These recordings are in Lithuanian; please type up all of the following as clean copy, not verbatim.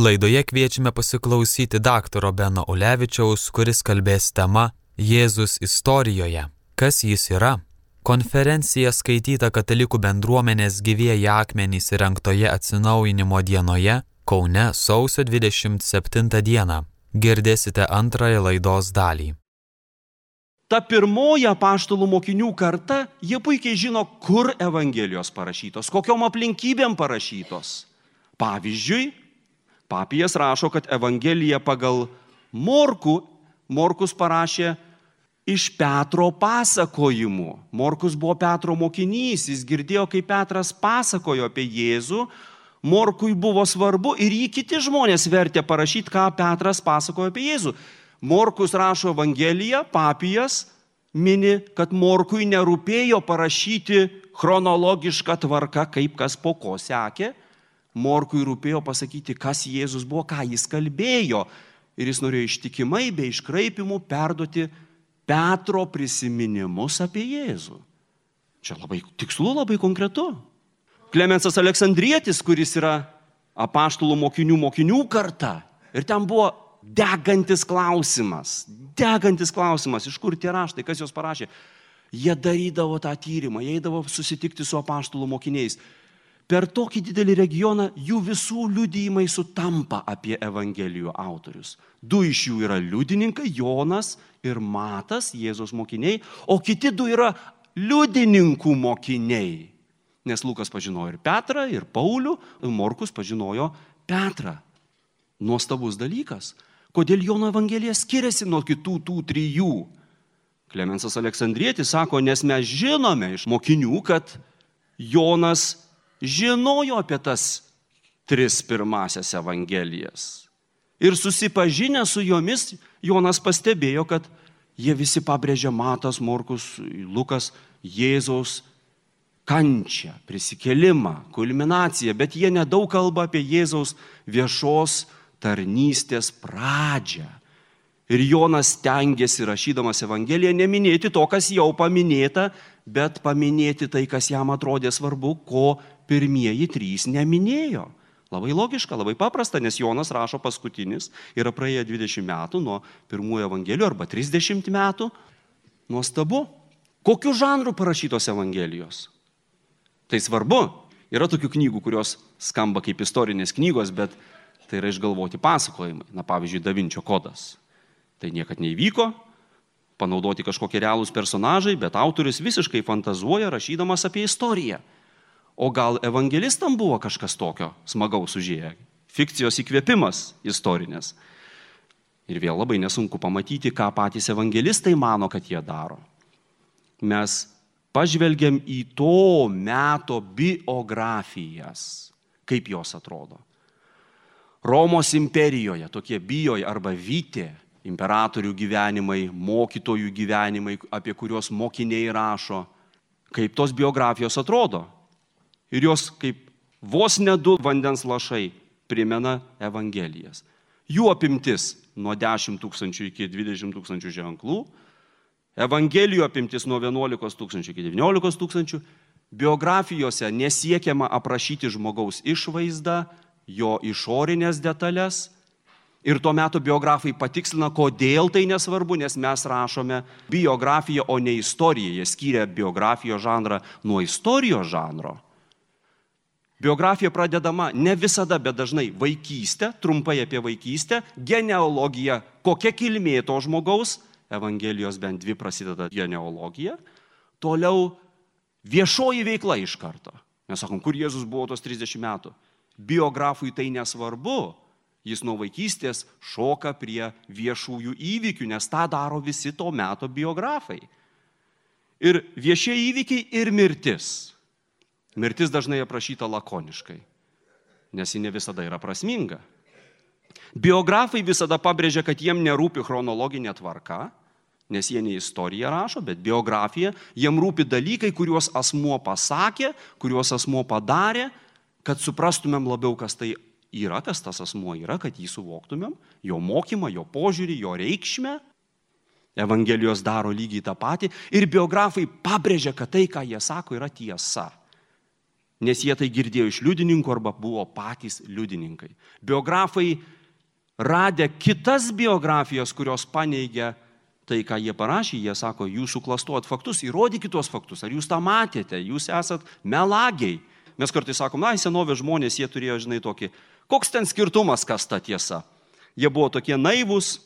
Laidoje kviečiame pasiklausyti daktaro Beno Ulevičiaus, kuris kalbės tema Jėzus istorijoje. Kas jis yra? Konferencija skaityta katalikų bendruomenės Gyvieji akmenys įrengtoje atsinaujinimo dienoje Kaune sausio 27 dieną. Girdėsite antrąją laidos dalį. Ta pirmoji apaštalų mokinių karta, jie puikiai žino, kur Evangelijos parašytos, kokiom aplinkybėm parašytos. Pavyzdžiui, Papijas rašo, kad Evangelija pagal Morkus parašė iš Petro pasakojimų. Morkus buvo Petro mokinys, jis girdėjo, kaip Petras pasakojo apie Jėzų. Morkui buvo svarbu ir jį kiti žmonės vertė parašyti, ką Petras pasakojo apie Jėzų. Morkus rašo Evangeliją, Papijas mini, kad Morkui nerūpėjo parašyti chronologišką tvarką, kaip kas po ko sekė. Morkui rūpėjo pasakyti, kas Jėzus buvo, ką jis kalbėjo. Ir jis norėjo ištikimai, be iškraipimų perduoti Petro prisiminimus apie Jėzų. Čia labai tikslu, labai konkretu. Klemensas Aleksandrietis, kuris yra apaštalų mokinių karta. Ir ten buvo degantis klausimas, iš kur tie raštai, kas juos parašė. Jie darydavo tą tyrimą, jie eidavo susitikti su apaštalų mokiniais. Per tokį didelį regioną jų visų liudijimai sutampa apie Evangelijų autorius. 2 iš jų yra liudininkai, Jonas ir Matas, Jėzaus mokiniai, o kiti 2 yra liudininkų mokiniai. Nes Lukas pažinojo ir Petrą, ir Paulių, Morkus pažinojo Petrą. Nuostabus dalykas. Kodėl Jono Evangelija skiriasi nuo kitų tų 3? Klemensas Aleksandrietis sako, nes mes žinome iš mokinių, kad Jonas žinojo apie tas 3 pirmasias Evangelijas. Ir susipažinę su jomis, Jonas pastebėjo, kad jie visi pabrėžia Matas, Morkus, Lukas, Jėzaus kančią, prisikėlimą, kulminaciją, bet jie nedaug kalba apie Jėzaus viešos tarnystės pradžią. Ir Jonas stengiasi, rašydamas Evangeliją, neminėti to, kas jau paminėta, bet paminėti tai, kas jam atrodė svarbu, ko pirmieji 3 neminėjo. Labai logiška, labai paprasta, nes Jonas rašo paskutinis, yra praėję 20 metų nuo pirmųjų Evangelijų arba 30 metų. Nuostabu. Kokiu žanru parašytos Evangelijos? Tai svarbu. Yra tokių knygų, kurios skamba kaip istorinės knygos, bet tai yra išgalvoti pasakojimai. Na, pavyzdžiui, Da Vinčio kodas. Tai niekad neįvyko, panaudoti kažkokie realūs personažai, bet autorius visiškai fantazuoja, rašydamas apie istoriją. O gal evangelistam buvo kažkas tokio smagaus užėję? Fikcijos įkvėpimas istorinės. Ir vėl labai nesunku pamatyti, ką patys evangelistai mano, kad jie daro. Mes pažvelgiam į to meto biografijas, kaip jos atrodo. Romos imperijoje tokie bijoj arba vytė, imperatorių gyvenimai, mokytojų gyvenimai, apie kuriuos mokiniai rašo, kaip tos biografijos atrodo. Ir jos kaip vos ne 2 vandens lašai primena Evangelijas. Jų apimtis nuo 10 000 iki 20 000 ženklų, Evangelijų apimtis nuo 11 000 iki 19 000, biografijose nesiekiama aprašyti žmogaus išvaizdą, jo išorinės detalės. Ir tuo metu biografai patikslina, kodėl tai nesvarbu, nes mes rašome biografiją, o ne istoriją. Jie skyrė biografijos žanrą nuo istorijos žanro. Biografija pradedama ne visada, bet dažnai vaikystė, trumpai apie vaikystę, genealogija, kokia kilmė to žmogaus, Evangelijos bent 2 prasideda genealogija, toliau viešoji veikla iš karto. Mes sakom, kur Jėzus buvo tos 30 metų. Biografui tai nesvarbu. Jis nuo vaikystės šoka prie viešųjų įvykių, nes tą daro visi to meto biografai. Ir viešieji įvykiai ir mirtis. Mirtis dažnai aprašyta lakoniškai, nes ji ne visada yra prasminga. Biografai visada pabrėžia, kad jiem nerūpi chronologinė tvarka, nes jie ne istoriją rašo, bet biografija. Jiem rūpi dalykai, kuriuos asmuo pasakė, kuriuos asmuo padarė, kad suprastumėm labiau, kas tai yra, kas tas asmuo yra, kad jį suvoktumėm, jo mokymą, jo požiūrį, jo reikšmę. Evangelijos daro lygiai tą patį ir biografai pabrėžia, kad tai, ką jie sako, yra tiesa. nes jie tai girdėjo iš liudininkų arba buvo patys liudininkai. Biografai radę kitas biografijas, kurios paneigia tai, ką jie parašė, jie sako, jūs suklastuojat faktus, įrodykit tuos faktus, ar jūs tą matėte, jūs esat melagiai. Mes kartais sakom, senovės žmonės, jie turėjo, tokį, koks ten skirtumas, kas ta tiesa. Jie buvo tokie naivūs,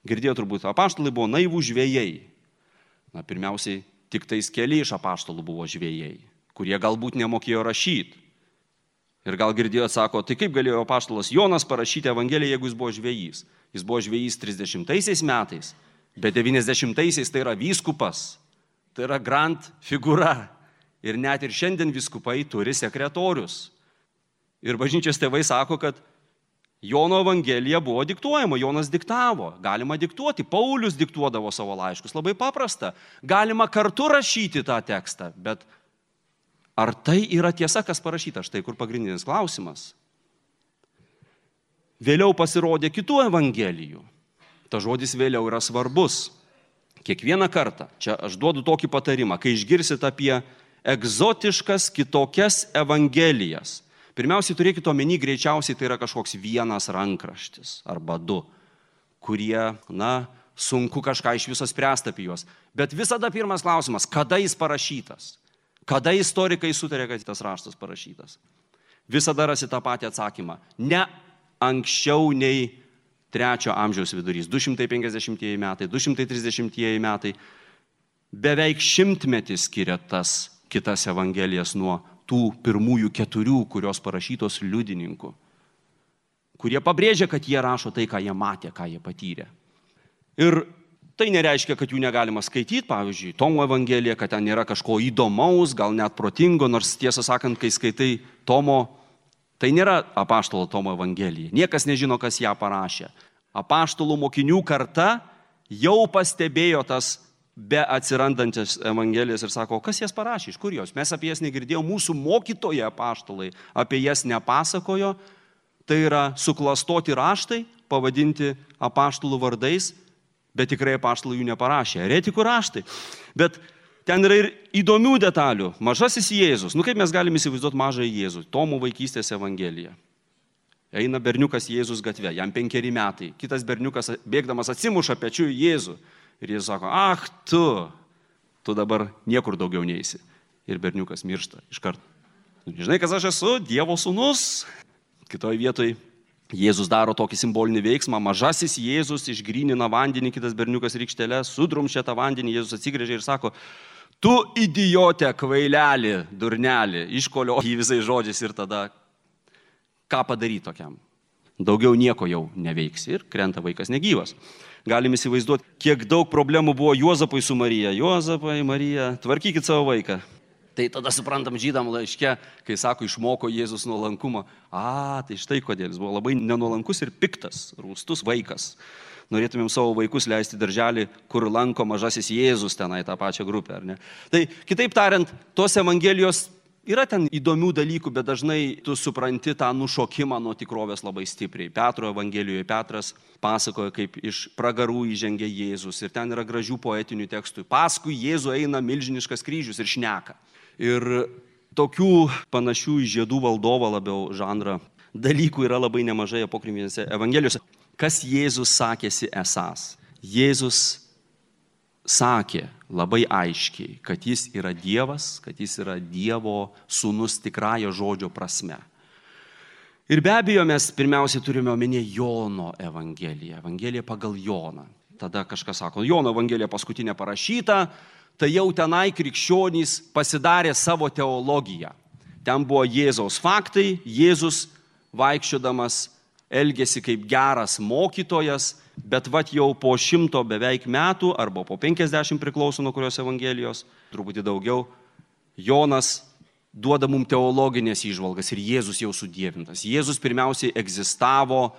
girdėjo turbūt, apaštalai buvo naivų žvejai. Pirmiausiai, tik tais keli iš apaštalų buvo žvejai, kurie galbūt nemokėjo rašyti. Ir gal girdėjo, sako, tai kaip galėjo apaštalas Jonas parašyti Evangeliją, jeigu jis buvo žvejys? Jis buvo žvejys 30 metais, bet 90-aisiais tai yra vyskupas, tai yra grand figūra. Ir net ir šiandien vyskupai turi sekretorius. Ir bažnyčios tėvai sako, kad Jono Evangelija buvo diktuojama, Jonas diktavo. Galima diktuoti, Paulius diktuodavo savo laiškus, labai paprasta. Galima kartu rašyti tą tekstą, bet ar tai yra tiesa, kas parašyta? Štai kur pagrindinis klausimas. Vėliau pasirodė kitų Evangelijų. Ta žodis vėliau yra svarbus. Kiekvieną kartą, čia aš duodu tokį patarimą, kai išgirsit apie egzotiškas kitokias Evangelijas. Pirmiausiai turėkite omeny, greičiausiai tai yra kažkoks vienas rankraštis arba du, kurie, sunku kažką iš viso spręsti apie juos. Bet visada pirmas klausimas, kada jis parašytas? Kada istorikai sutarė, kad tas raštas parašytas? Visada rasi tą patį atsakymą. Ne anksčiau nei 3 amžiaus vidurys, 250 metai, 230 metai. Beveik 100 skiria tas kitas Evangelijas nuo tų pirmųjų 4, kurios parašytos liudininkų, kurie pabrėžia, kad jie rašo tai, ką jie matė, ką jie patyrė. Ir tai nereiškia, kad jų negalima skaityti, pavyzdžiui, Tomo Evangeliją, kad ten nėra kažko įdomaus, gal net protingo, nors tiesą sakant, kai skaitai Tomo, tai nėra apaštalo Tomo Evangelija. Niekas nežino, kas ją parašė. Apaštalų mokinių karta jau pastebėjo tas be atsirandančias Evangelijas ir sako, kas jas parašė, iš kur jos? Mes apie jas negirdėjome, mūsų mokytojai apaštalai apie jas nepasakojo. Tai yra suklastoti raštai, pavadinti apaštalų vardais, bet tikrai apaštalai jų neparašė. Eretikų raštai. Bet ten yra ir įdomių detalių. Mažasis Jėzus. Kaip mes galime įsivaizduoti mažąjį Jėzų? Tomo vaikystės Evangelija. Eina berniukas Jėzus gatve, jam 5 metai. Kitas berniukas bėgdamas atsimuša pečiu į Jėzų. Ir Jėzus sako, tu dabar niekur daugiau neisi. Ir berniukas miršta iš karto. Žinai, kas aš esu? Dievo sūnus. Kitoje vietoje Jėzus daro tokį simbolinį veiksmą. Mažasis Jėzus išgrynina vandenį, kitas berniukas rykštelę, sudrumščia tą vandenį. Jėzus atsigręžia ir sako, tu idiote, kvailelį, durnelį, iškolio jį visais žodžiais ir tada ką padaryti tokiam? Daugiau nieko jau neveiks ir krenta vaikas negyvas. Galim įsivaizduoti, kiek daug problemų buvo Juozapui su Marija. Juozapai, Marija, tvarkykit savo vaiką. Tai tada suprantam žydam laiške, kai sako, išmoko Jėzus nuolankumą. Tai štai kodėl jis buvo labai nenuolankus ir piktas, rūstus vaikas. Norėtumėm savo vaikus leisti darželį, kur lanko mažasis Jėzus tenai tą pačią grupę, ar ne? Tai kitaip tariant, tos Evangelijos yra ten įdomių dalykų, bet dažnai tu supranti tą nušokimą nuo tikrovės labai stipriai. Petro Evangelijoje Petras pasakoja, kaip iš pragarų įžengia Jėzus ir ten yra gražių poetinių tekstų. Paskui Jėzų eina milžiniškas kryžius ir šneka. Ir tokių panašių į žiedų valdovą labiau žanrą dalykų yra labai nemažai apokrifinėse Evangelijose. Kas Jėzus sakėsi esąs? Jėzus sakė labai aiškiai, kad jis yra Dievas, kad jis yra Dievo sūnus tikrąja žodžio prasme. Ir be abejo mes pirmiausiai turime omenyje Jono Evangeliją, Evangeliją pagal Joną. Tada kažkas sako, Jono Evangelija paskutinė parašyta, tai jau tenai krikščionys pasidarė savo teologiją. Ten buvo Jėzaus faktai, Jėzus vaikščiodamas elgėsi kaip geras mokytojas, bet jau po 100 beveik metų, arba po 50 priklauso nuo kurios Evangelijos, truputį daugiau, Jonas duoda mums teologinės įžvalgas ir Jėzus jau sudievintas. Jėzus pirmiausiai egzistavo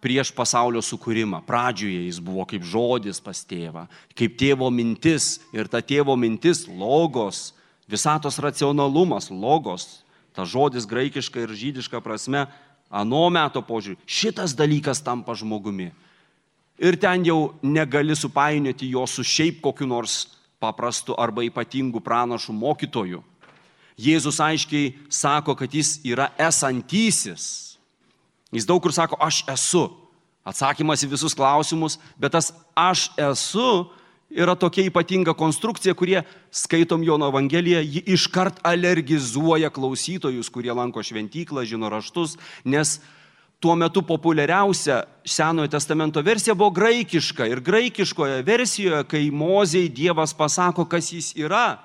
prieš pasaulio sukūrimą. Pradžioje jis buvo kaip žodis pas tėvą, kaip tėvo mintis. Ir ta tėvo mintis, logos, visatos racionalumas, logos, ta žodis graikiška ir žydiška prasme, ano meto požiūrį, šitas dalykas tampa žmogumi. Ir ten jau negali supainioti jo su šiaip kokiu nors paprastu arba ypatingu pranašu mokytoju. Jėzus aiškiai sako, kad jis yra esantysis. Jis daug kur sako, aš esu. Atsakymas į visus klausimus, bet tas aš esu yra tokia ypatinga konstrukcija, kurie skaitom Jono Evangeliją, ji iškart alergizuoja klausytojus, kurie lanko šventyklą, žino raštus, nes tuo metu populiariausia Senojo testamento versija buvo graikiška. Ir graikiškoje versijoje, kai Mozei Dievas pasako, kas jis yra,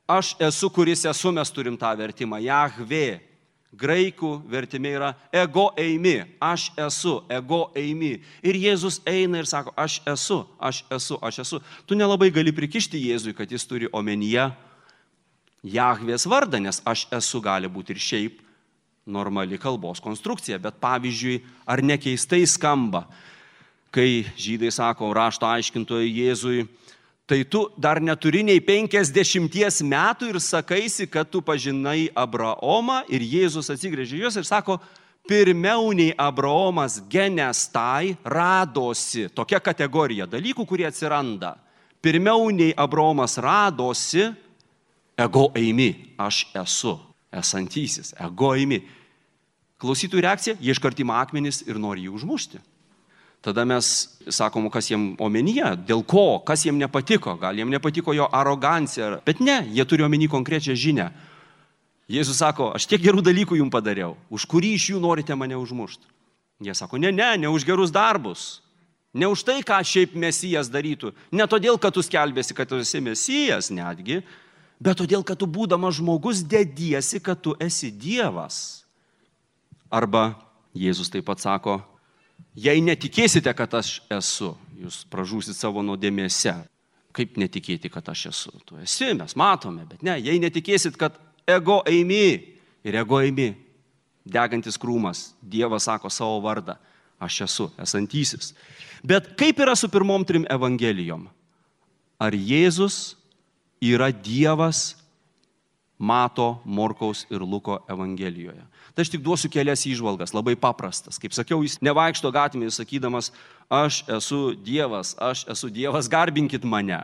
aš esu, kuris esu, mes turim tą vertimą, Jahvė. Graikų vertime yra ego eimi, aš esu, ego eimi. Ir Jėzus eina ir sako, aš esu, aš esu, aš esu. Tu nelabai gali prikišti Jėzui, kad jis turi omenyje Jahvės vardą, nes aš esu gali būti ir šiaip normali kalbos konstrukcija. Bet pavyzdžiui, ar nekeistai skamba, kai žydai sako rašto aiškintojui Jėzui, tai tu dar neturi nei 50 metų ir sakaisi, kad tu pažinai Abraomą, ir Jėzus atsigręžia juos ir sako, pirmiau nei Abraomas genestai radosi, tokia kategorija dalykų, kurie atsiranda. Pirmiau nei Abraomas radosi, ego eimi, aš esu, esantysis, ego eimi. Klausytojų reakcija, jie iškart ima akmenis ir nori jį užmušti. Tada mes sakom, kas jiem omenyje, dėl ko, kas jiem nepatiko, gal jiem nepatiko jo arogancija, bet ne, jie turi omeny konkrečią žinią. Jėzus sako, aš tiek gerų dalykų jums padariau, už kurį iš jų norite mane užmušti? Jie sako, ne už gerus darbus, ne už tai, ką šiaip Mesijas darytų, ne todėl, kad tu skelbėsi, kad tu esi Mesijas netgi, bet todėl, kad tu būdamas žmogus dediesi, kad tu esi Dievas. Arba Jėzus taip pat sako, jei netikėsite, kad aš esu, jūs pražūsit savo nuodėmėse. Kaip netikėti, kad aš esu? Tu esi, mes matome, bet ne. Jei netikėsit, kad ego eimi ir ego eimi, degantis krūmas, Dievas sako savo vardą, aš esu, esantysis. Bet kaip yra su pirmom 3 evangelijom? Ar Jėzus yra Dievas Mato, Morkaus ir Luko evangelijoje? Tai aš tik duosiu kelias įžvalgas, labai paprastas. Kaip sakiau, jis nevaikšto gatvėje sakydamas, aš esu Dievas, garbinkit mane.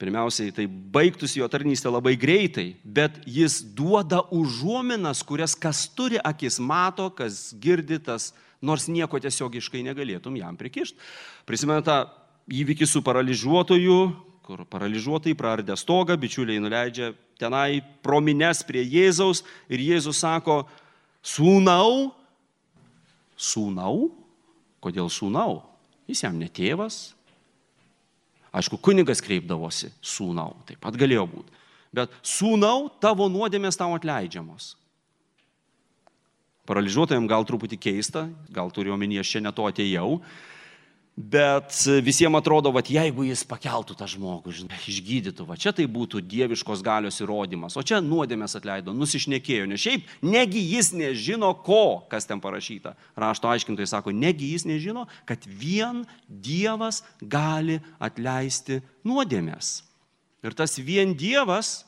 Pirmiausiai, tai baigtųsi jo tarnystė labai greitai, bet jis duoda užuominas, kurias kas turi akis mato, kas girdi, tas, nors nieko tiesiogiškai negalėtum jam prikišti. Prisimenu tą įvykį su paralyžiuotoju, kur paralyžiuotai praardė stogą, bičiuliai nuleidžia tenai pro minias prie Jėzaus ir Jėzus sako, sūnau, kodėl sūnau? Jis jam ne tėvas. Aišku, kunigas kreipdavosi, sūnau, taip pat galėjo būti. Bet sūnau, tavo nuodėmės tau atleidžiamos. Paralyžiuotojams gal truputį keista, gal turiu omenyje, aš čia ne to atėjau, bet visiems atrodo, kad jeigu jis pakeltų tą žmogų, išgydytų, čia tai būtų dieviškos galios įrodymas, o čia nuodėmės atleido, nusišnekėjo, nes šiaip negi jis nežino ko, kas ten parašyta. Rašto aiškintojai sako, negi jis nežino, kad vien Dievas gali atleisti nuodėmės. Ir tas vien Dievas,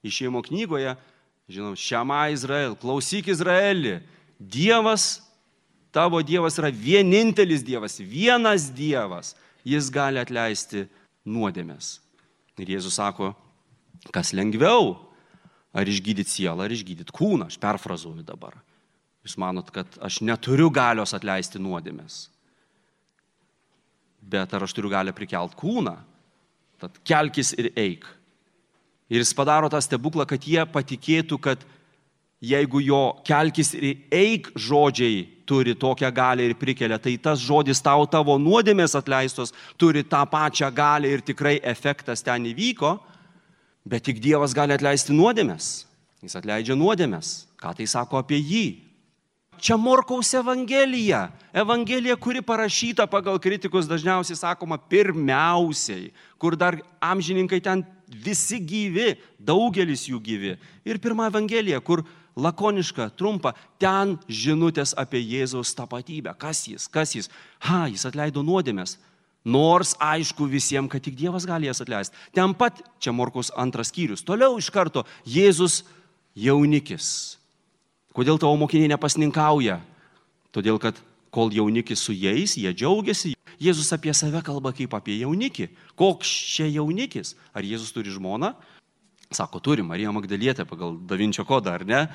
Išėjimo knygoje, žinom, Šema Izrael, klausyk Izraeli, Dievas, tavo Dievas yra vienintelis Dievas, vienas Dievas, jis gali atleisti nuodėmės. Ir Jėzus sako, kas lengviau, ar išgydyti sielą, ar išgydyti kūną, aš perfrazuoju dabar. Jūs manot, kad aš neturiu galios atleisti nuodėmės, bet ar aš turiu galią prikelt kūną, tad kelkis ir eik. Ir jis padaro tą stebuklą, kad jie patikėtų, kad jeigu jo kelkis ir eik žodžiai turi tokią galią ir prikelia, tai tas žodis tau tavo nuodėmės atleistos turi tą pačią galią ir tikrai efektas ten įvyko, bet tik Dievas gali atleisti nuodėmės. Jis atleidžia nuodėmės. Ką tai sako apie jį? Čia Morkaus Evangelija. Evangelija, kuri parašyta pagal kritikus dažniausiai sakoma pirmiausiai, kur dar amžininkai ten visi gyvi, daugelis jų gyvi. Ir pirma Evangelija, kur lakoniška, trumpa, ten žinutės apie Jėzaus tapatybę. Kas jis? Jis atleido nuodėmės. Nors aišku visiems, kad tik Dievas gali jas atleisti. Ten pat, čia Morkaus 2 skyrius. Toliau iš karto Jėzus jaunikis. Kodėl tavo mokiniai nepasninkauja? Todėl, kad kol jaunikis su jais, jie džiaugiasi. Jėzus apie save kalba kaip apie jaunikį. Koks čia jaunikis? Ar Jėzus turi žmoną? Sako, turi Marija Magdalietė pagal Da Vinčio kodą, ar ne?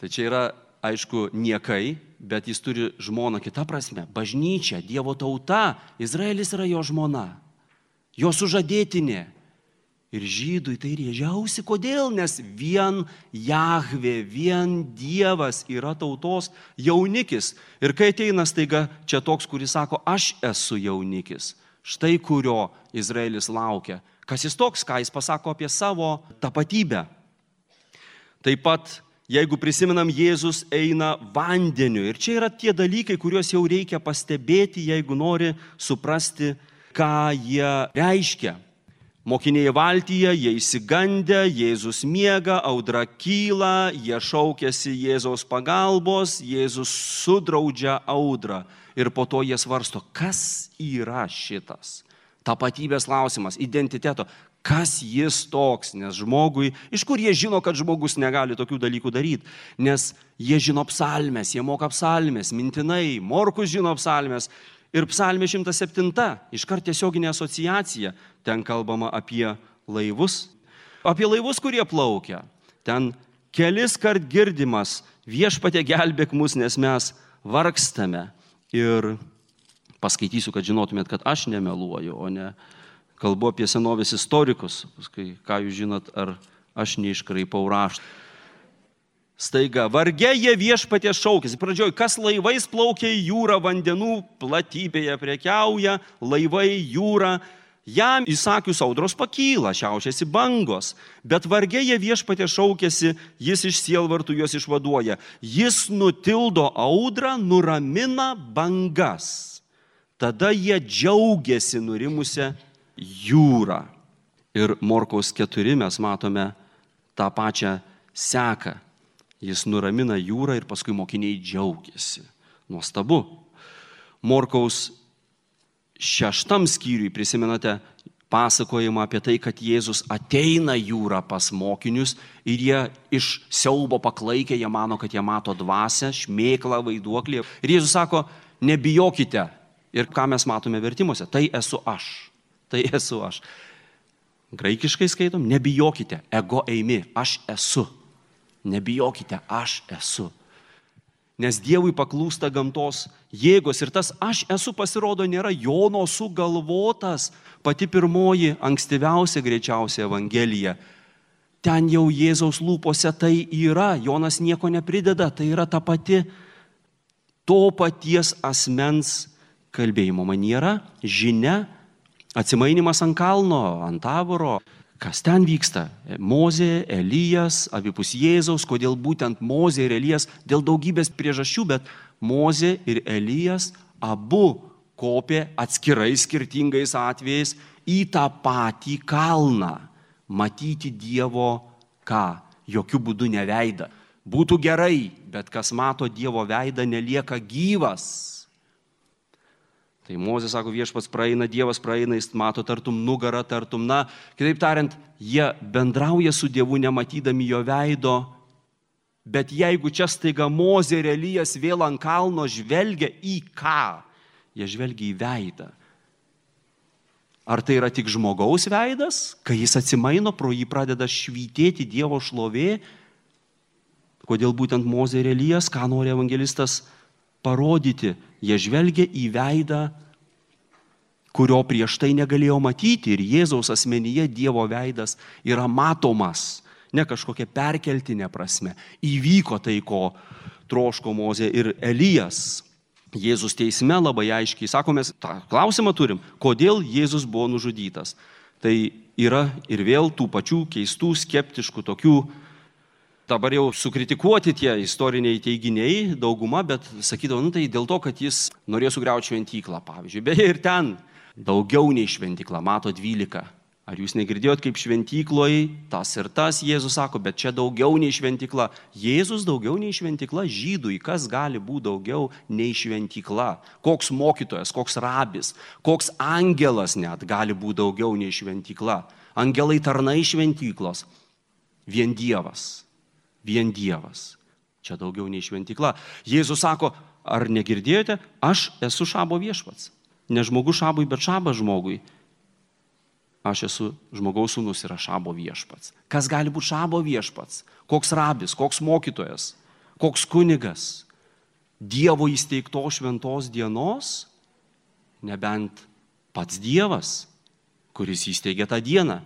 Tai čia yra, aišku, niekai, bet jis turi žmoną kita prasme. Bažnyčia, Dievo tauta, Izraelis yra jo žmona, jo sužadėtinė. Ir žydui tai rėžiausi, kodėl? Nes vien Jahvė, vien Dievas yra tautos jaunikis. Ir kai ateina staiga čia toks, kuris sako, aš esu jaunikis, štai kurio Izraelis laukia. Kas jis toks, ką jis pasako apie savo tapatybę. Taip pat, jeigu prisimenam, Jėzus eina vandeniu. Ir čia yra tie dalykai, kuriuos jau reikia pastebėti, jeigu nori suprasti, ką jie reiškia. Mokiniai valtyje, jie išsigandę, Jėzus miega, audra kyla, jie šaukiasi Jėzaus pagalbos, Jėzus sudraudžia audrą. Ir po to jie svarsto, kas yra šitas. Tapatybės klausimas, identiteto. Kas jis toks? Nes žmogui, iš kur jie žino, kad žmogus negali tokių dalykų daryti? Nes jie žino psalmes, jie moka psalmes, mintinai, Morkus žino psalmes. Ir psalmė 107, iškart tiesioginė asociacija. Ten kalbama apie laivus. Apie laivus, kurie plaukia. Ten kelis kart girdimas, viešpatie gelbėk mus, nes mes vargstame. Ir paskaitysiu, kad žinotumėt, kad aš nemeluoju, o ne kalbu apie senovės istorikus. Paskui, ką jūs žinot, ar aš neiškraipau raštą. Staiga, varge jie viešpatie šaukėsi. Pradžioj, kas laivais plaukia į jūrą, vandenų platybėje prekiauja, laivai jūra. Jam įsakius audros pakyla, šiaušiasi bangos. Bet varge jie viešpatie šaukėsi, jis iš sielvartų juos išvaduoja. Jis nutildo audrą, nuramina bangas. Tada jie džiaugiasi nurimusią jūrą. Ir Morkaus 4 mes matome tą pačią seką. Jis nuramina jūrą ir paskui mokiniai džiaugiasi. Nuostabu. Morkaus 6 skyriui prisimenate pasakojimą apie tai, kad Jėzus ateina jūrą pas mokinius ir jie iš siaubo paklaikę, jie mano, kad jie mato dvasią, šmėklą, vaiduoklį. Ir Jėzus sako, nebijokite. Ir ką mes matome vertimuose? Tai esu aš. Tai esu aš. Graikiškai skaitom, nebijokite, ego eimi, aš esu. Nebijokite, aš esu. Nes Dievui paklūsta gamtos jėgos ir tas aš esu pasirodo nėra Jono sugalvotas, pati pirmoji, ankstyviausia greičiausia Evangelija. Ten jau Jėzaus lūpose tai yra, Jonas nieko neprideda, tai yra ta pati to paties asmens kalbėjimo maniera, žinia, atsimainimas ant kalno, ant Taboro. Kas ten vyksta? Mozė, Elijas, abipus Jėzaus. Kodėl būtent Mozė ir Elijas? Dėl daugybės priežasčių, bet Mozė ir Elijas abu kopė atskirai skirtingais atvejais į tą patį kalną. Matyti Dievo ką? Jokių būdų ne veidą. Būtų gerai, bet kas mato Dievo veidą, nelieka gyvas. Tai Mozė sako, viešpats praeina, Dievas praeina, jis mato tartum nugarą, tartum, kitaip tariant, jie bendrauja su Dievu nematydami jo veido, bet jeigu čia staiga Mozė ir Elijas vėl ant kalno žvelgia į ką? Jie žvelgia į veidą. Ar tai yra tik žmogaus veidas, kai jis atsimaino, pro jį pradeda švytėti Dievo šlovė? Kodėl būtent Mozė ir Elijas, ką nori evangelistas parodyti? Jie žvelgia į veidą, kurio prieš tai negalėjo matyti. Ir Jėzaus asmenyje Dievo veidas yra matomas, ne kažkokia perkeltinė prasme. Įvyko tai, ko troško Mozė ir Elijas. Jėzus teisme labai aiškiai, mes tą klausimą turim, kodėl Jėzus buvo nužudytas. Tai yra ir vėl tų pačių keistų, skeptiškų, tokių, dabar jau sukritikuoti tie istoriniai teiginiai, dauguma, bet sakydavo, tai dėl to, kad jis norėjo sugriauti šventyklą, pavyzdžiui. Beje, ir ten daugiau nei šventykla, mato 12. Ar jūs negirdėjot, kaip šventykloje tas ir tas, Jėzus sako, bet čia daugiau nei šventykla. Jėzus daugiau nei šventykla, žydui, kas gali būti daugiau nei šventykla? Koks mokytojas, koks rabis, koks angelas net gali būti daugiau nei šventykla? Angelai tarnai šventyklos, vien Dievas. Vien Dievas. Čia daugiau nei šventykla. Jėzus sako, ar negirdėjote, aš esu šabo viešpats. Ne žmogus šabui, bet šabas žmogui. aš esu žmogaus sūnus ir aš Šabo viešpats. Kas gali būti Šabo viešpats? Koks rabis, koks mokytojas, koks kunigas? Dievo įsteigto šventos dienos? Nebent pats Dievas, kuris įsteigė tą dieną.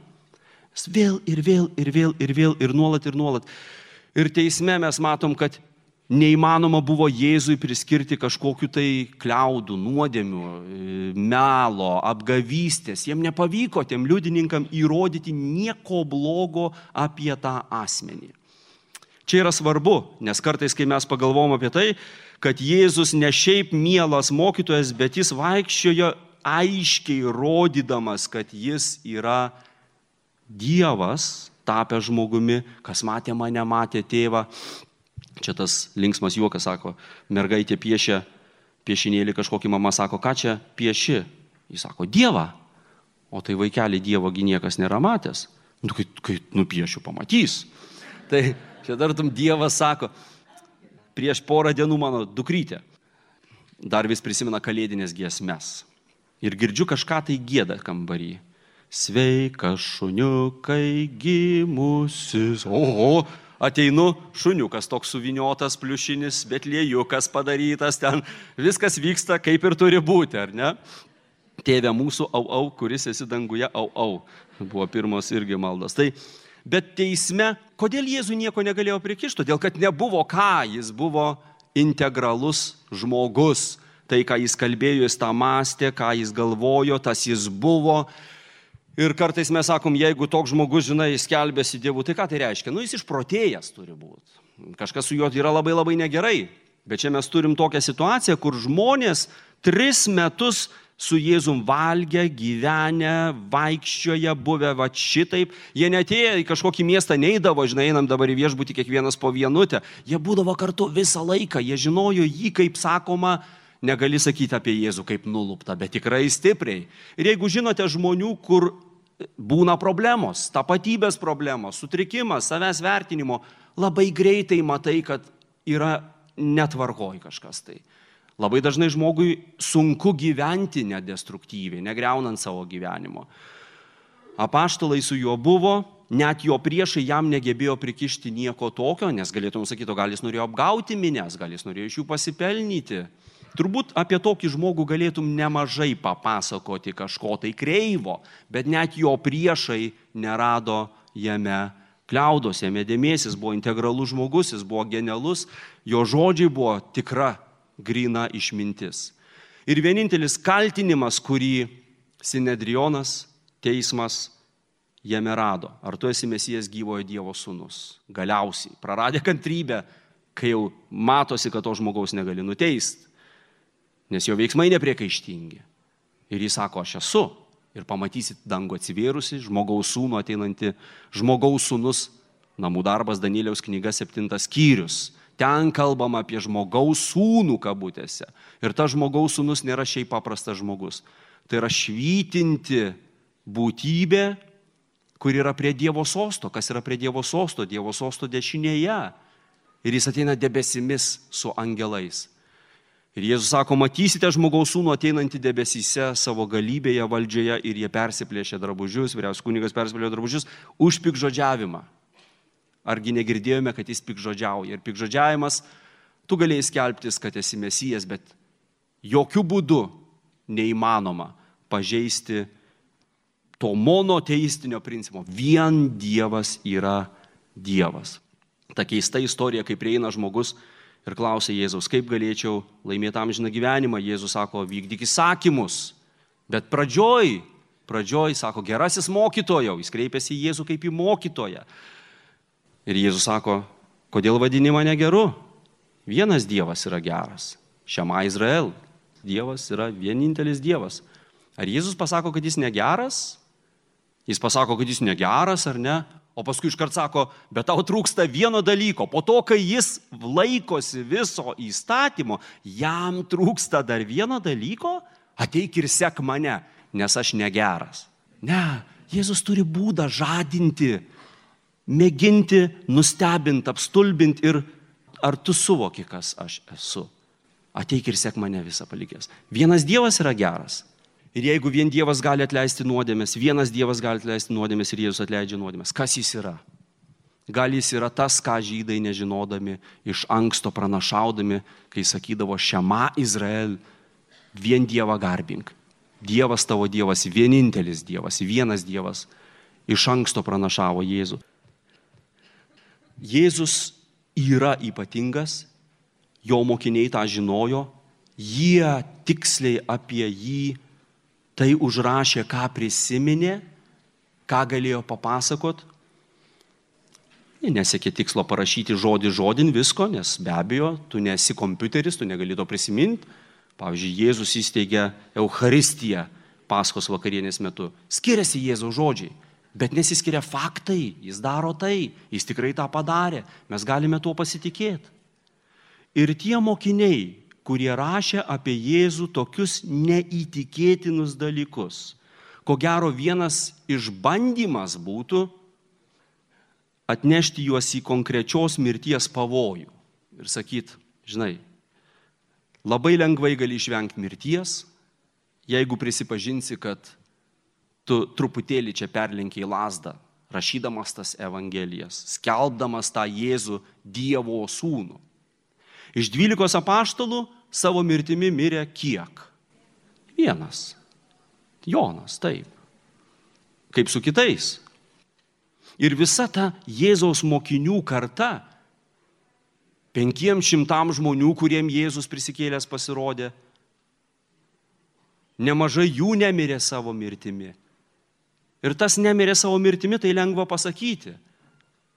Vėl ir nuolat. Ir teisme mes matom, kad neįmanoma buvo Jėzui priskirti kažkokiu tai kliaudų, nuodėmių, melo, apgavystės. Jiem nepavyko tiem liudininkam įrodyti nieko blogo apie tą asmenį. Čia yra svarbu, nes kartais, kai mes pagalvom apie tai, kad Jėzus ne šiaip mielas mokytojas, bet jis vaikščiojo aiškiai rodydamas, kad jis yra Dievas, tapęs žmogumi, kas matė mane, matė tėvą. Čia tas linksmas juokas, sako, mergaitė piešia piešinėlį, kažkokį mama sako, ką čia pieši? Jis sako, Dievą. O tai vaikelį Dievogi niekas nėra matęs. Nu, kai nupiešiu, pamatys. Tai čia tartum Dievas sako, prieš porą dienų mano dukrytė dar vis prisimena kalėdinės giesmes. Ir girdžiu kažką tai gieda kambarį. Sveikas šuniukai gimusis. Oho, ateinu, šuniukas toks suviniotas, pliušinis, betliejukas padarytas, ten viskas vyksta kaip ir turi būti, ar ne? Tėve mūsų, au, kuris esi danguje, au. Buvo pirmos irgi maldos. Tai, bet teisme, kodėl Jėzui nieko negalėjo prikišti? Todėl, kad nebuvo ką, jis buvo integralus žmogus. Tai, ką jis kalbėjo, jis tą mąstė, ką jis galvojo, tas jis buvo. Ir kartais mes sakom, jeigu toks žmogus, žinai, skelbėsi Dievu, tai ką tai reiškia? Nu, jis išprotėjęs turi būti. Kažkas su juo yra labai negerai. Bet čia mes turim tokią situaciją, kur žmonės 3 metus su Jėzum valgę, gyvenę, vaikščioje, buvę va šitaip. Jie netėjo į kažkokį miestą, neidavo, žinai, einam dabar į viešbutį kiekvienas po vienutę. Jie būdavo kartu visą laiką, jie žinojo jį, kaip sakoma, negali sakyti apie Jėzų kaip nuluptą, bet tikrai stipriai. Ir jeigu žinote žmonių, kur būna problemos, tapatybės problemos, sutrikimas, savęs vertinimo, labai greitai matai, kad yra netvarkoj kažkas tai. Labai dažnai žmogui sunku gyventi nedestruktyviai, negriaunant savo gyvenimo. Apaštalai su juo buvo, net jo priešai jam negebėjo prikišti nieko tokio, nes galėtum sakyti, o gal jis norėjo apgauti minias, gal jis norėjo iš jų pasipelnyti. Turbūt apie tokį žmogų galėtum nemažai papasakoti kažko tai kreivo, bet net jo priešai nerado jame kliaudos, jame dėmesys, buvo integralus žmogus, jis buvo genialus, jo žodžiai buvo tikra, gryna išmintis. Ir vienintelis kaltinimas, kurį Sinedrionas, teismas jame rado, ar tu esi Mesijas gyvojo Dievo sūnus. Galiausiai, praradė kantrybę, kai jau matosi, kad to žmogaus negali nuteisti. Nes jo veiksmai nepriekaištingi. Ir jis sako, aš esu. Ir pamatysit dangų atsivėrusi, žmogaus sūnų ateinantį, žmogaus sūnus, namų darbas Danieliaus knyga 7 skyrius. Ten kalbama apie žmogaus sūnų kabutėse. Ir tas žmogaus sūnus nėra šiaip paprastas žmogus. Tai yra švytinti būtybė, kur yra prie Dievo sosto. Kas yra prie Dievo sosto? Dievo sosto dešinėje. Ir jis ateina debesimis su angelais. Ir Jėzus sako, matysite žmogaus sūnų ateinantį debesyse savo galybėje, valdžioje ir jie persiplėšė drabužius, vyriausias kunigas persiplėšė drabužius už pikžodžiavimą. Argi negirdėjome, kad jis pikžodžiauja. Ir pikžodžiavimas, tu galėjai skelbtis, kad esi Mesijas, bet jokių būdų neįmanoma pažeisti to monoteistinio principo. Vien Dievas yra Dievas. Ta keista istorija, kai prieina žmogus ir klausia Jėzaus, kaip galėčiau laimėti amžiną gyvenimą. Jėzus sako, vykdyk įsakymus. Bet pradžioj, sako, gerasis mokytojau. Jis kreipėsi į Jėzų kaip į mokytoją. Ir Jėzus sako, kodėl vadini mane geru? Vienas Dievas yra geras. Šema Izrael. Dievas yra vienintelis Dievas. Ar Jėzus pasako, kad jis negeras? Jis pasako, kad jis negeras ar ne? O paskui iškart sako, bet tau trūksta vieno dalyko. Po to, kai jis laikosi viso įstatymo, jam trūksta dar vieno dalyko, ateik ir sek mane, nes aš negeras. Ne, Jėzus turi būdą žadinti, mėginti, nustebinti, apstulbinti ir ar tu suvoki, kas aš esu. Ateik ir sek mane visą palikęs. Vienas Dievas yra geras. Ir jeigu vien Dievas gali atleisti nuodėmės, vienas Dievas gali atleisti nuodėmės ir Jėzus atleidžia nuodėmės, kas jis yra? Gal jis yra tas, ką žydai nežinodami, iš anksto pranašaudami, kai sakydavo Šema Izrael, vien Dievą garbink. Dievas tavo Dievas, vienintelis Dievas, vienas Dievas iš anksto pranašavo Jėzų. Jėzus yra ypatingas, jo mokiniai tą žinojo, jie tiksliai apie jį tai užrašė, ką prisiminė, ką galėjo papasakot. Jie nesiekė tikslo parašyti žodį žodin visko, nes be abejo, tu nesi kompiuteris, tu negali to prisiminti. Pavyzdžiui, Jėzus įsteigė Eucharistiją Paskos vakarienės metu. Skiriasi Jėzaus žodžiai, bet nesiskiria faktai, jis daro tai, jis tikrai tą padarė, mes galime tuo pasitikėti. Ir tie mokiniai, kurie rašė apie Jėzų tokius neįtikėtinus dalykus, ko gero vienas išbandymas būtų atnešti juos į konkrečios mirties pavojų ir sakyt, žinai, labai lengvai gali išvengti mirties, jeigu prisipažinsi, kad tu truputėlį čia perlenkiai lazdą, rašydamas tas evangelijas, skelbdamas tą Jėzų Dievo sūnų. Iš 12 apaštalų savo mirtimi mirė kiek? Vienas. Jonas, taip. Kaip su kitais. Ir visa ta Jėzaus mokinių karta, 500 žmonių, kuriem Jėzus prisikėlęs pasirodė, nemažai jų nemirė savo mirtimi. Ir tas nemirė savo mirtimi, tai lengva pasakyti.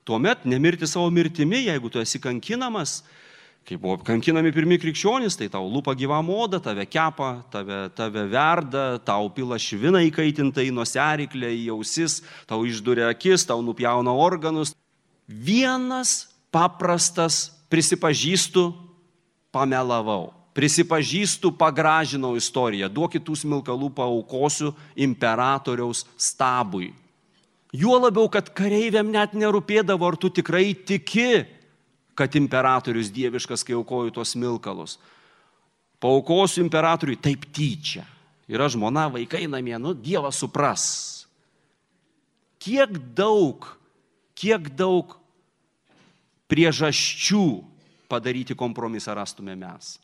Tuomet nemirti savo mirtimi, jeigu tu esi kankinamas, kai buvo kankinami pirmi krikščionys, tai tau lupa gyvam oda, tave kepa, tave verda, tau pila šviną įkaitintą į nosiaryklę, į ausis, tau išduria akis, tau nupjauna organus. Vienas paprastas prisipažįstu, pamelavau. Prisipažįstu, pagražinau istoriją. Duokit tų smilkalų paaukosiu imperatoriaus stabui. Juo labiau, kad kareiviam net nerūpėdavo, ar tu tikrai tiki, kad imperatorius dieviškas, kai aukoju tos smilkalus. Paaukosiu imperatoriui taip tyčia. Yra žmona, vaikai namie, Dievas supras. Kiek daug priežasčių padaryti kompromisą rastume mes.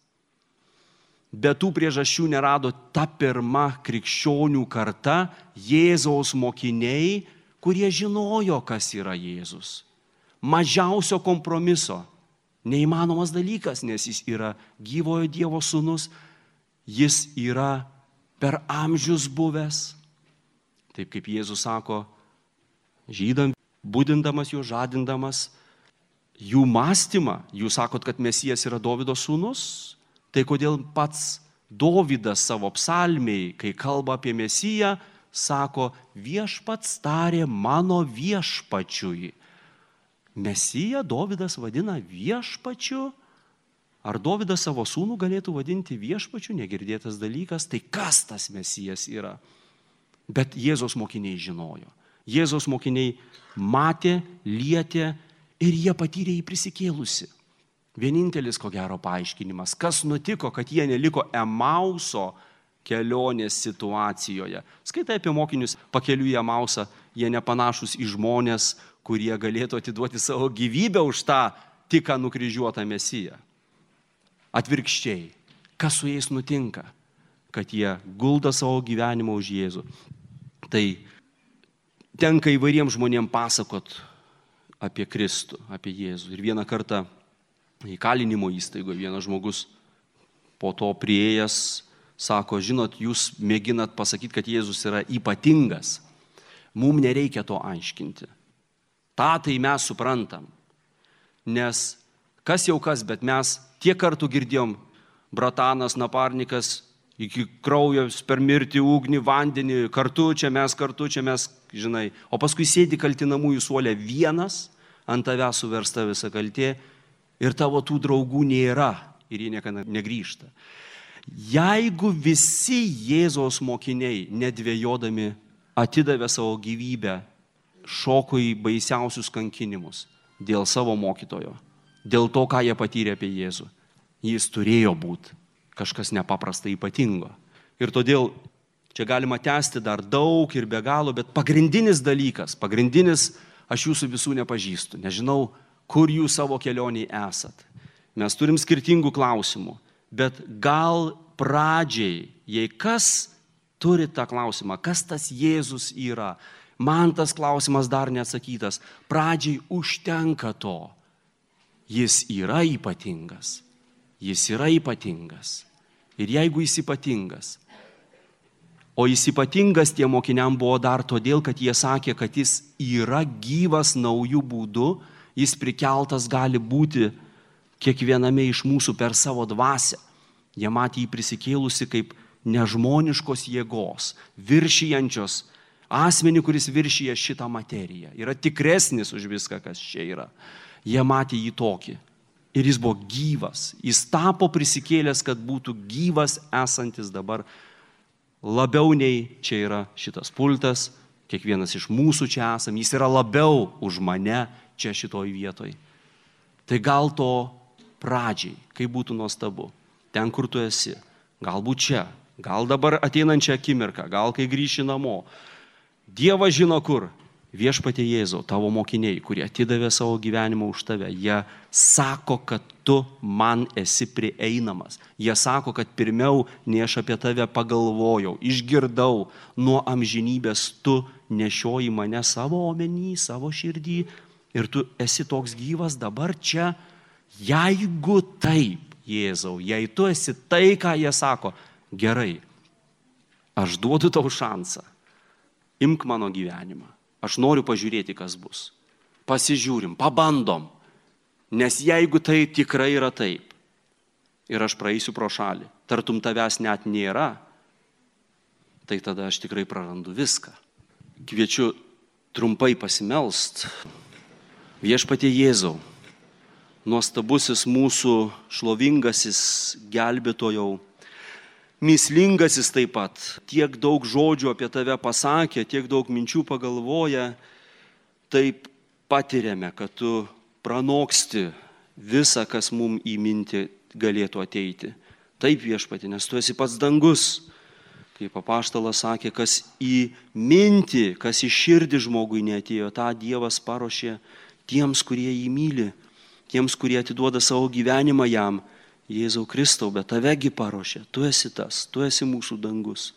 Bet tų priežasčių nerado ta pirma krikščionių karta, Jėzaus mokiniai, kurie žinojo, kas yra Jėzus. Mažiausio kompromiso. Neįmanomas dalykas, nes jis yra gyvojo Dievo sūnus, jis yra per amžius buvęs. Taip kaip Jėzus sako, žydam, budindamas juos, žadindamas jų mąstymą, jūs sakot, kad Mesijas yra Dovydo sūnus, tai kodėl pats Dovydas savo psalmiai, kai kalba apie Mesiją, sako, viešpats tarė mano viešpačiui. Mesiją Dovydas vadina viešpačiu. Ar Dovydas savo sūnų galėtų vadinti viešpačiu? Negirdėtas dalykas. Tai kas tas Mesijas yra? Bet Jėzaus mokiniai žinojo. Jėzaus mokiniai matė, lietė ir jie patyrė jį prisikėlusi. Vienintelis, ko gero, paaiškinimas, kas nutiko, kad jie neliko Emauso kelionės situacijoje. Skaitai apie mokinius pakeliui į Emausą, jie nepanašus į žmonės, kurie galėtų atiduoti savo gyvybę už tą tik nukryžiuotą Mesiją. Atvirkščiai, kas su jais nutinka, kad jie gulda savo gyvenimą už Jėzų. Tai tenka įvairiems žmonėms pasakot apie Kristų, apie Jėzų. Ir vieną kartą įkalinimo įstaigoje vienas žmogus po to priėjęs sako, žinot, jūs mėginat pasakyti, kad Jėzus yra ypatingas. Mums nereikia to aiškinti. Ta tai mes suprantam. Nes kas jau kas, bet mes tiek kartų girdėjom, bratanas, naparnikas, iki kraujo per mirtį, ugnį, vandenį, kartu čia mes, žinai. O paskui sėdi kaltinamųjų suole vienas, ant tavęs suversta visa kaltė ir tavo tų draugų nėra ir jie niekada negrįžta. Jeigu visi Jėzaus mokiniai, nedvejodami, atidavė savo gyvybę, šoko į baisiausius kankinimus dėl savo mokytojo, dėl to, ką jie patyrė apie Jėzų, jis turėjo būti kažkas nepaprastai ypatingo. Ir todėl Čia galima tęsti dar daug ir be galo, bet pagrindinis dalykas, aš jūsų visų nepažįstu, nežinau, kur jūs savo kelioniai esat. Mes turim skirtingų klausimų, bet gal pradžiai, jei kas turi tą klausimą, kas tas Jėzus yra, man tas klausimas dar neatsakytas, pradžiai užtenka to. Jis yra ypatingas. Jis yra ypatingas. Ir jeigu jis ypatingas, o jis ypatingas tiem mokiniam buvo dar todėl, kad jie sakė, kad jis yra gyvas naujų būdų, jis prikeltas gali būti kiekviename iš mūsų per savo dvasią. Jie matė jį prisikėlusi kaip nežmoniškos jėgos, viršijančios asmenį, kuris viršyja šitą materiją. Yra tikresnis už viską, kas čia yra. Jie matė jį tokį. Ir jis buvo gyvas. Jis tapo prisikėlęs, kad būtų gyvas esantis dabar labiau nei čia yra šitas pultas. Kiekvienas iš mūsų čia esam. Jis yra labiau už mane čia šitoj vietoj. Tai gal to pradžiai, kai būtų nuostabu. Ten, kur tu esi. Galbūt čia. Gal dabar ateinančią akimirką. Gal kai grįši namo. Dievas žino kur. Viešpatie Jėzau, tavo mokiniai, kurie atidavė savo gyvenimą už tave, jie sako, kad tu man esi prieinamas. Jie sako, kad pirmiau, nei aš apie tave pagalvojau, išgirdau, nuo amžinybės tu nešioji mane savo omeny, savo širdį ir tu esi toks gyvas dabar čia. Jeigu taip, Jėzau, jei tu esi tai, ką jie sako, gerai, aš duodu tau šansą, imk mano gyvenimą. Aš noriu pažiūrėti, kas bus. Pasižiūrim, pabandom. Nes jeigu tai tikrai yra taip, ir aš praeisiu pro šalį, tartum tavęs net nėra, tai tada aš tikrai prarandu viską. Kviečiu trumpai pasimelst. Viešpatie Jėzau, nuostabusis mūsų šlovingasis gelbėtojau, mįslingasis taip pat, tiek daug žodžių apie tave pasakė, tiek daug minčių pagalvoja, taip patiriame, kad tu pranoksti visą, kas mums į mintį galėtų ateiti. Taip, Viešpatie, nes tu esi pats dangus. Kaip apaštalas sakė, kas į mintį, kas į širdį žmogui neatėjo, tą Dievas paruošė tiems, kurie jį myli, tiems, kurie atiduoda savo gyvenimą jam. Jėzau Kristau, bet tavegi paruošė, tu esi tas, tu esi mūsų dangus.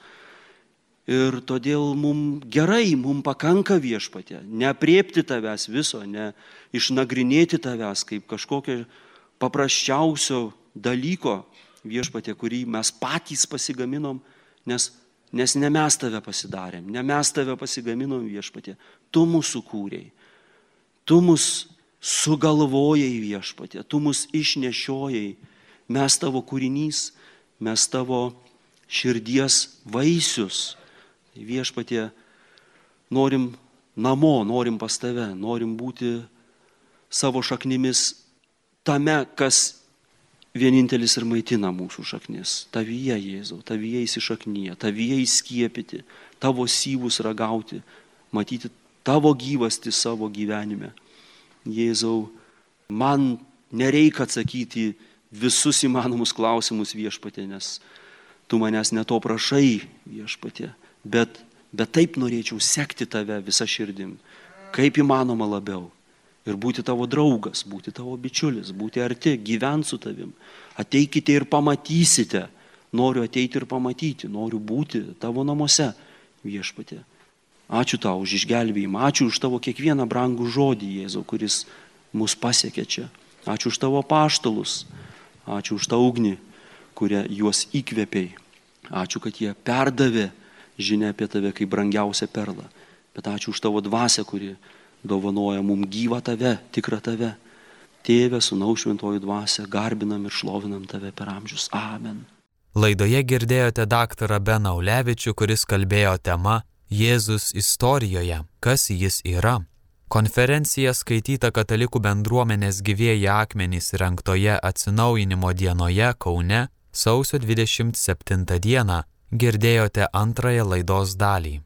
Ir todėl mums gerai, mums pakanka Viešpatie, neapriepti tavęs viso, ne išnagrinėti tavęs kaip kažkokio paprasčiausio dalyko Viešpatie, kurį mes patys pasigaminom, nes ne mes tave pasidarėm, ne mes tave pasigaminom Viešpatie, tu mūsų kūrei, tu mus sugalvojai Viešpatie, tu mus išnešiojai. Mes tavo kūrinys, mes tavo širdies vaisius. Viešpatie, norim namo, norim pas tave, norim būti savo šaknimis tame, kas vienintelis ir maitina mūsų šaknis. Tavyje, Jėzau, tavyje įsišaknyje, tavyje įskiepyti, tavo syvus ragauti, matyti tavo gyvastį savo gyvenime. Jėzau, man nereikia atsakyti visus įmanomus klausimus Viešpatie, nes tu manęs ne to prašai Viešpatie, bet taip norėčiau sekti tave visą širdim, kaip įmanoma labiau ir būti tavo draugas, būti tavo bičiulis, būti arti, gyventi su tavim. Ateikite ir pamatysite, noriu ateiti ir pamatyti, noriu būti tavo namuose Viešpatie. Ačiū tau už išgelbėjimą, ačiū už tavo kiekvieną brangų žodį, Jėzau, kuris mus pasiekė čia. Ačiū už tavo apaštalus. Ačiū už tą ugnį, kurią juos įkvėpei. Ačiū, kad jie perdavė žinią apie tave kaip brangiausią perlą. Bet ačiū už tavo dvasią, kuri dovanoja mums gyvą tave, tikrą tave. Tėve, Sūnaus Šventoji dvasia, garbinam ir šlovinam tave per amžius. Amen. Laidoje girdėjote daktarą Beną Ulevičių, kuris kalbėjo tema Jėzus istorijoje, kas jis yra. Konferencija skaityta Katalikų bendruomenės Gyvieji akmenys rengtoje atsinaujinimo dienoje Kaune sausio 27 dieną. Girdėjote antrąją laidos dalį.